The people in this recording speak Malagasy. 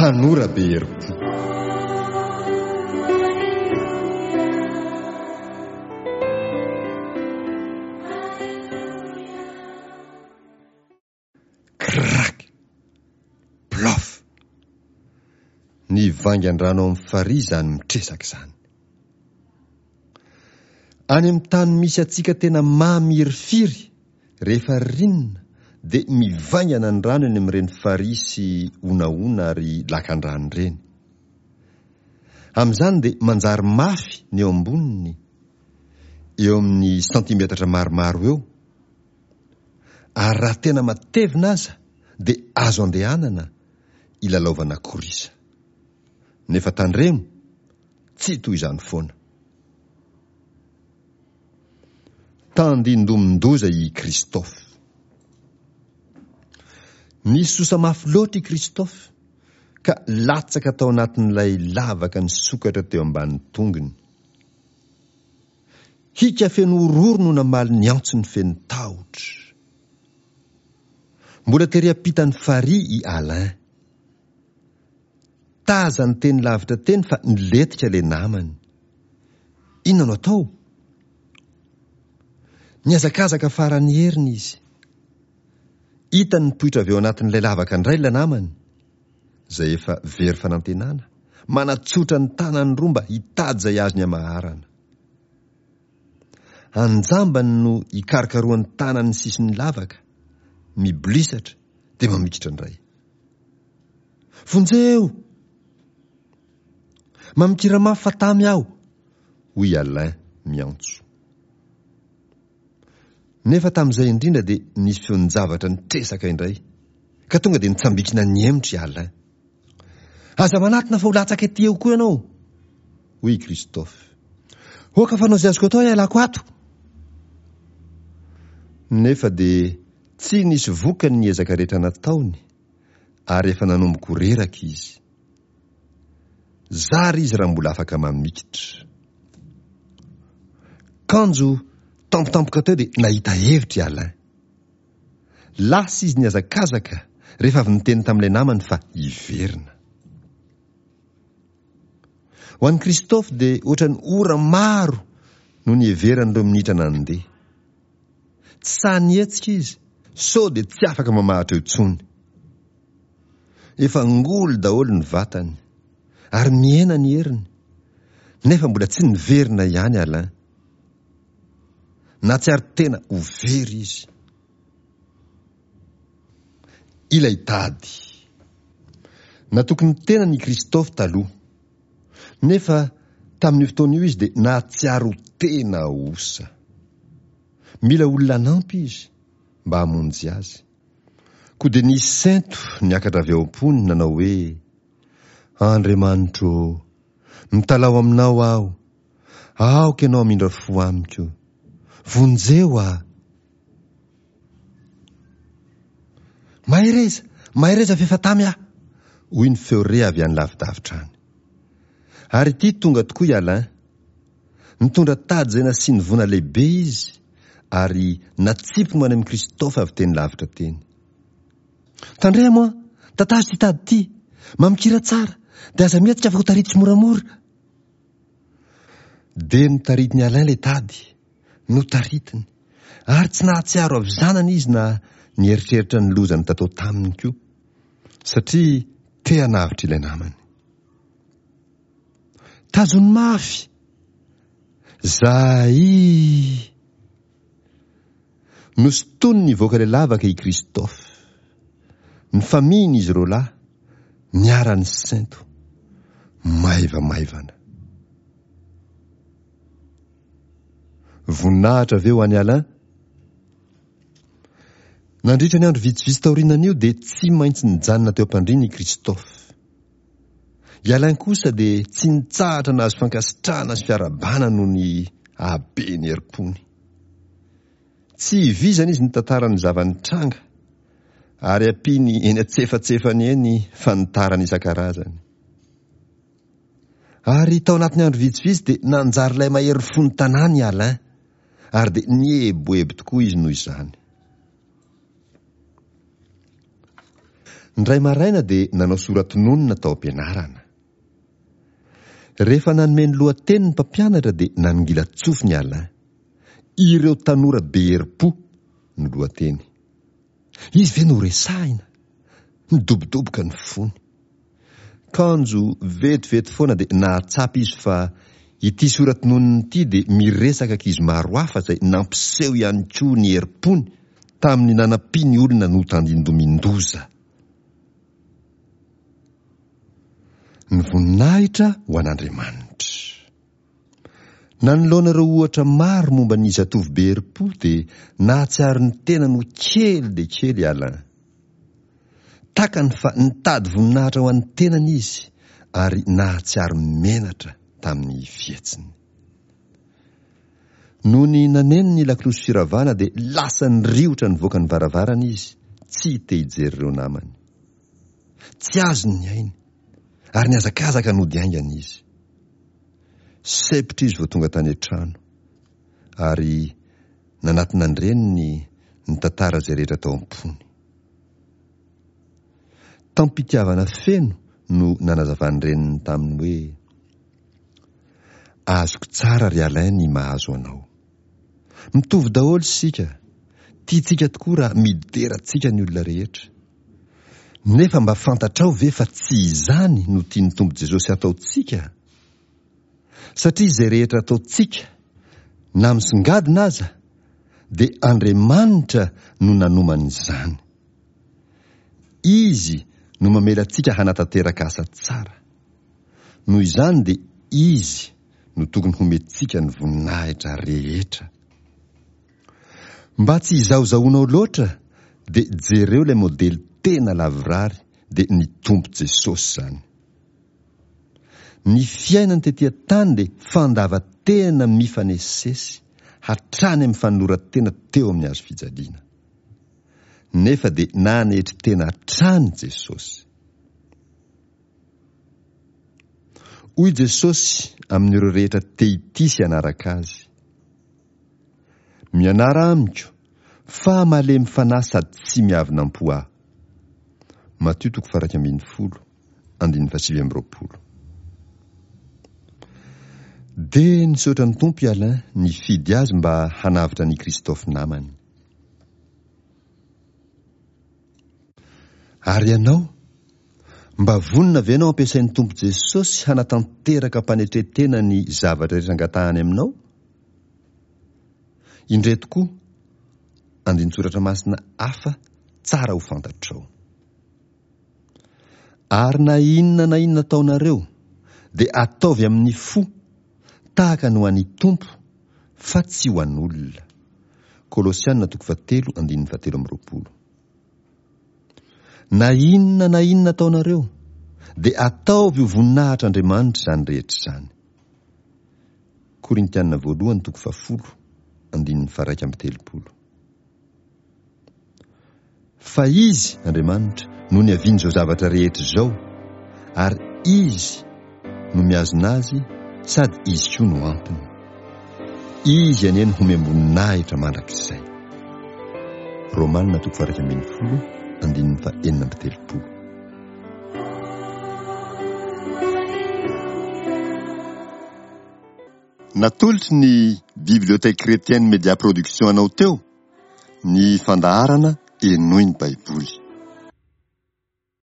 Tanora be herim-po. Crac! Plof! Ny vaingan-drano ao amin'ny farihy izany mitresaka izany. Any amin'ny tany misy antsika tena mamirifiry rehefa ririnina dia mivaingana ny rano eny amin'ireny farihy sy honahona ary lakandrano ireny. Amin'izany dia manjary mafy ny eo amboniny, eo amin'ny santimetatra maromaro eo, ary raha tena matevina aza dia azo andehanana ilalaovana korisa. Nefa tandremo, tsy toy izany foana. Tandindomin-doza i Christophe. Nisosa mafy loatra i Christophe ka latsaka tao anatin'ilay lavaka nisokatra teo ambany tongony. Hika feno horohoro no namaly ny antsony feno tahotra. Mbola tery ampitan'ny farihy i Alain. Tazany teny lavitra teny fa nilentika ilay namany. Inona no atao? Nihazakazaka faran'ny heriny izy. Hitany nipoitra avy ao anatin'ilay lavaka indray ilay namany, izay efa very fanantenana, manatsotra ny tanany roa mba hitady izay azony amaharana. Anjambany no ikarokarohany tanany ny sisin'ny lavaka, mibolisatra dia mamikitra indray. Vonjeo! Mamikira mafy fa tamy aho! hoy Alain miantso. Nefa tamin'izay indrindra dia nisy feon-javatra nitresaka indray, ka tonga dia nitsambikina nihemotra i Alain. Aza manatona fa ho latsaka ety eo koa ianao! hoy i Christophe. Oka fanao izay azoko atao hialako ato! Nefa dia tsy nisy vokany ny ezaka rehetra nataony, ary efa nanomboka ho reraka izy. Zara izy raha mbola afaka mamikitra. Kanjo tampotampoka teo dia nahita hevitra i Alain. Lasa izy nihazakazaka rehefa avy niteny tamin'ilay namany fa hiverina. Ho an'i Christophe dia ohatran'ny ora maro no niheverany ireo minitra nandeha. Tsy sahy nihetsika izy sao dia tsy afaka mamahatra eo intsony. Efa ngoly daholo ny vatany ary mihena ny heriny nefa mbola tsy niverina ihany Alain. Nahatsiaro tena ho very izy. Ilay tady. Natoky ny tenany i Christophe taloha. Nefa tamin'io fotoana io izy dia nahatsiaro tena osa. Mila olona hanampy izy mba hamonjy azy. Koa dia nisy sento niakatra avy ao am-pony nanao hoe, Andriamanitro ô, mitalaho aminao aho, aoka ianao hamindra fo amiko. Vonjeo aho. Mahereza! Mahereza f'efa tamy aho! hoy ny feo re avy any lavidavitra any. Ary ity tonga tokoa i Alain. Nitondra tady izay nasiany vona lehibe izy ary natsipiny ho any amin'i Christophe avy teny lavitra teny. Tandremo an! Tatazo ity tady ity! Mamikira tsara! Dia aza mihetsika fa ho taritiko moramora! Dia notaritin'i Alain ilay tady. Notaritiny. Ary tsy nahatsiaro havizanana izy na nieritreritra ny loza nitatao taminy koa. Satria te hanavotra ilay namany. Tazony mafy! Zaii! Nosintoniny nivoaka ilay lavaka i Christophe. Nifamihina izy roalahy, niara-nisento. Maivamaivana. Voninahitra ve ho an'i Alain? Nandritra ny andro vitsivitsy taorianan'io dia tsy maintsy nijanona teo am-pandriana i Christophe. I Alain kosa dia tsy nitsahatra nahazo fankasitrahana sy fiarahabana noho ny haben'ny herim-pony. Tsy vizana izy nitantara ny zava-nitranga ary ampiany eny antsefatsefany eny fanitarana isan-karazany. Ary tao anatin'ny andro vitsivitsy dia nanjary ilay mahery fon'ny tanàna i Alain, ary dia nieboebo tokoa izy noho izany. Indray maraina dia nanao sora-tononina tao am-pianarana. Rehefa nanome ny lohateny ny mpampianatra dia nanongilan-tsofiny Alain. Ireo tanora be herim-po no lohateny. Izy ve no horesahina? Nidobodoboka ny fony. Kanjo vetivety foana dia nahatsapa izy fa ity sora-tononiny ity dia miresaka ankizy maro hafa izay nampiseho ihany koa ny herim-pony tamin'ny nanampiany olona notandindomin-doza. Ny voninahitra ho an'Andriamanitra. Nanoloana ireo ohatra maro momba ny zatovo be herim-po dia nahatsiaro ny tenany ho kely dia kely i Alain. Takany fa nitady voninahitra ho an'ny tenany izy ary nahatsiaro menatra tamin'ny fihetsiny. Nony naneno ny lakolosy firavana dia lasa niriotra nivoaka ny varavarana izy, tsy te hijery ireo namany. Tsy azony ny ainy ary nihazakazaka nody haingana izy. Sempotra izy vao tonga tany an-trano ary nanatona an-dreniny nitantara izay rehetra tao am-pony. Tam-pitiavana feno no nanazavan'ny reniny taminy hoe, Azoko tsara ry Alain ny mahazo anao. Mitovy daholo isika, tiantsika tokoa raha midera antsika ny olona rehetra. Nefa mba fantatrao ve fa tsy izany no tian'ny Tompo Jesosy hataontsika? Satria izay rehetra ataontsika, na misongadina aza, dia Andriamanitra no nanomana izany. Izy no mamela antsika hanatanteraka asa tsara. Noho izany dia Izy no tokony homentsika ny voninahitra rehetra. Mba tsy hizahozahoanao loatra dia jereo ilay modely tena lavorary dia ny Tompo Jesosy izany. Ny fiainany tety an-tany dia fandavan-tena mifanesisesy hatrany amin'ny fanoloran-tena teo amin'ny hazo fijaliana. Nefa dia nanetry tena hatrany Jesosy. Hoy Jesosy amin'ireo rehetra te hitia sy hanaraka Azy, Mianara amiko, fa malemy fanahy sady tsy miavona am-po Aho. Matio toko faha 11, andininy faha 29. Dia nisaotra ny Tompo i Alain nifidy azy mba hanavotra an'i Christophe namany. Ary ianao? Mba vonona ve ianao hampiasain'ny Tompo Jesosy hanatanteraka am-panetren-tena ny zavatra rehetra angatahany aminao? Indreto koa andinin-tsoratra masina hafa tsara ho fantatrao. Ary na inona na inona ataonareo, dia ataovy amin'ny fo, tahaka ny ho an'ny Tompo, fa tsy ho an'olona. Kolosiana toko fahatelo andininy fahatelo amby roapolo. Na inona na inona ataonareo, dia ataovy ho voninahitr'Andriamanitra izany rehetra izany. Korintiana voalohany toko fahafolo, andininy faharaika amby telopolo. Fa Izy, Andriamanitra, no niavian'izao zavatra rehetra izao, ary Izy no mihazona azy sady Izy koa no antony. Izy anie no homem-boninahitra mandrakizay. Romana toko faha-11 andininy faha-36. Natolotry ny Bibliothèque Chrétienne Media Production anao teo ny fandaharana Henoy ny Baiboly.